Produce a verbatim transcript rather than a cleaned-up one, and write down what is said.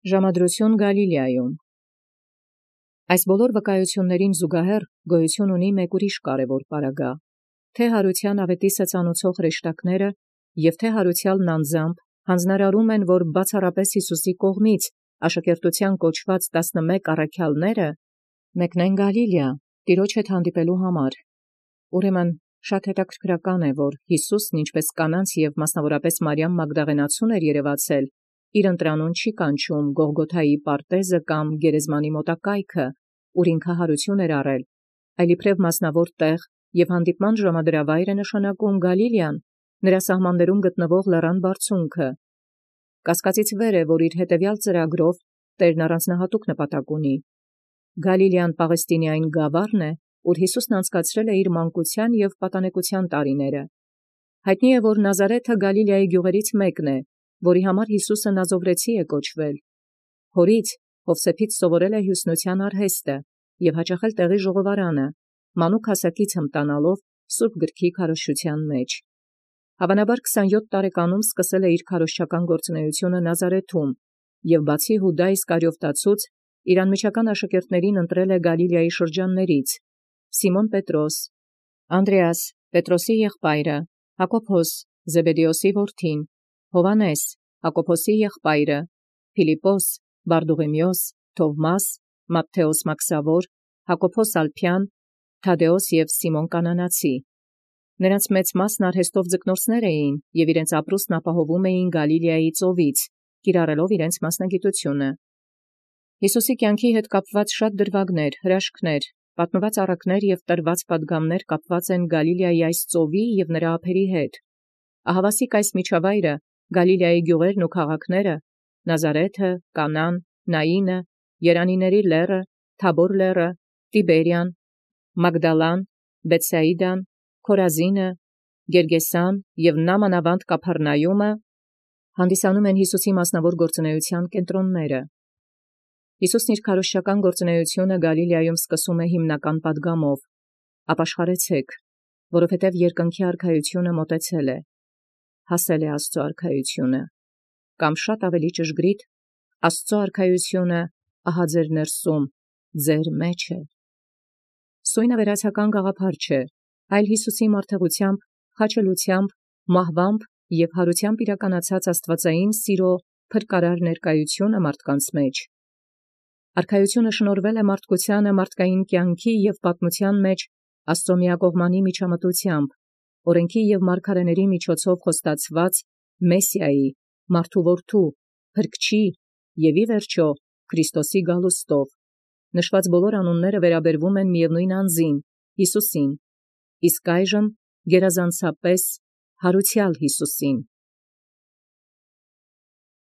Ժամադրություն Գալիլեայում։ Այս բոլոր վկայություններին զուգահեռ գոյություն ունի մեկ ուրիշ կարևոր պարագա, թե յարութեան աւետիսը ծանուցող հրեշտակները և թե յարութեալն անձամբ յանձնարարում են, որ բացառապես Յիսուսի կողմից աշակերտութեան կոչված տասնմեկ առաքեալները մեկնեն Գալիլեա տիրոջ հետ հանդիպելոյ համար։ Ուրեմն շատ հետաքրքրական է, որ Յիսուսն ինչպէս կանանց և մասնավորապես Մարիամ Մագդաղենացուն էր երևացել, իր ընտրանուն չի կանչում Գողգոթայի պարտեզը կամ գերեզմանի մոտակայքը, ուր ինքն յարութիւն էր առել, այլ իբրև մասնավոր տեղ և հանդիպման ժամադրավայր է նշանակում Գալիլեան, նրա սահմաններում գտնվող լեռան բարձունքը։ Կասկածից վեր է, որ իր հետևեալ ծրագրով Տէրն առանձնահատուկ նպատակ ունի։ Գալիլեան Պաղեստինեային գաւառն է, ուր Յիսուսն անցկացրել է իր մանկութեան և պատանեկութեան տարիները։ Յայտնի է, որ Նազարէթը Գալիլեայի գիւղերից մեկն է, որի համար Յիսուսը Նազովրեցի է կոչվել։ Հորից Յովսէփից սովորել է հիւսնութեան արհեստը և յաճախել տեղի ժողովարանը, մանուկ հասակից հմտանալով սուրբ գրքի քարոզչութեան մեջ։ Հավանաբար քսանյոթ տարեկանում սկսել է իր քարոզչական գործունեութիւնը Նազարեթում և բացի Յուդայ Իսկարիովտացուց, իր անմիջական աշակերտներուն ընտրել է Գալիլեայի շրջաններից. Սիմոն Պետրոս, Անդրեաս Պետրոսի եղբայրը, Յակոբոս Զեբեդեոսի որդին, Հովհաննես Յակոբոսի եղբայրը, Փիլիպպոս, Բարդուղիմեոս, Թովմաս, Մատթէոս Մաքսաւոր, Յակոբոս Ալփեան, Թադէոս և Սիմոն Կանանացի։ Նրանց մեծ մասն արհեստով ձկնորսներ էին և իրենց ապրուստն ապահովում էին Գալիլեայի ծովից, կիրառելով իրենց մասնագիտութիւնը։ Յիսուսի կյանքի հետ կապված շատ դրվագներ, հրաշքներ, պատմված առակներ և տրված պատգամներ կապված են Գալիլեայի այս ծովի և նրա ափերի հետ։ Ահավասիկ այս միջավայրը, Գալիլեայի գիւղերն ու քաղաքները, Նազարէթը, Կանան, Նայինը, Երանիների լեռը, Թաբոր լեռը, Տիբերիան, Մագդալան, Բեթսայիդան, Քորազինը, Գերգեսան և նամանավանդ Կափառնայումը հանդիսանում են Յիսուսի մասնավոր գործունեութեան կենտրոնները։ Յիսուսն իր քարոզչական գործունեութիւնը Գալիլեայում սկսում է հիմնական պատգամով. «Ապաշխարեցէք, որովհետև երկնքի արքայութիւնը մոտեցել է, հասել է Աստուծոյ արքայութիւնը, կամ շատ ավելի ճշգրիտ, Աստուծոյ արքայութիւնը ահա ձեր ներսում, ձեր մեջ է»։ Սոյնը վերացական գաղափար չէ, այլ Յիսուսի մարդեղութեամբ, խաչելութեամբ, մահվամբ և յարութեամբ իրականացած աստուածային սիրո փրկարար ներկայութիւնը մարդկանց մեջ։ Արքայութիւնը շնորհվել է մարդկությանը մարդկային կյանքի և պատմութեան մեջ Աստուծոյ միակողմանի միջամտութեամբ, օրենքի և մարգարէների միջոցով խոստացված Մեսիայի, մարդու որդու, փրկչի և ի վերջո Քրիստոսի գալուստով։ Նշված բոլոր անունները վերաբերվում են միևնույն անձին, Յիսուսին, իսկ այժմ գերազանցապես յարութեալ Յիսուսին։